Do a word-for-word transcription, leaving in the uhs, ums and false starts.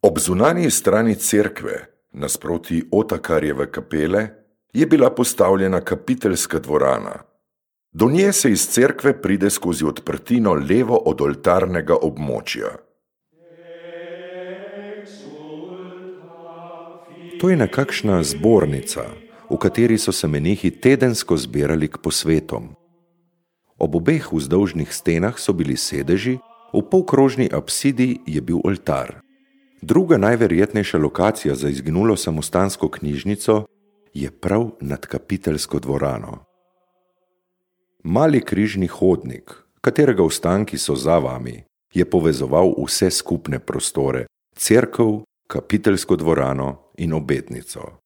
Ob zunanji strani cerkve, nasproti Otakarjeve kapele, je bila postavljena kapiteljska dvorana. Do nje se iz cerkve pride skozi odprtino levo od oltarnega območja. To je nekakšna zbornica, v kateri so se menihi tedensko zbirali k posvetom. Ob obeh vzdolžnih stenah so bili sedeži, v polkrožni apsidi je bil oltar. Druga najverjetnejša lokacija za izginulo samostansko knjižnico je prav nad kapiteljsko dvorano. Mali križni hodnik, katerega ostanki so za vami, je povezoval vse skupne prostore, cerkev, kapiteljsko dvorano in obednico.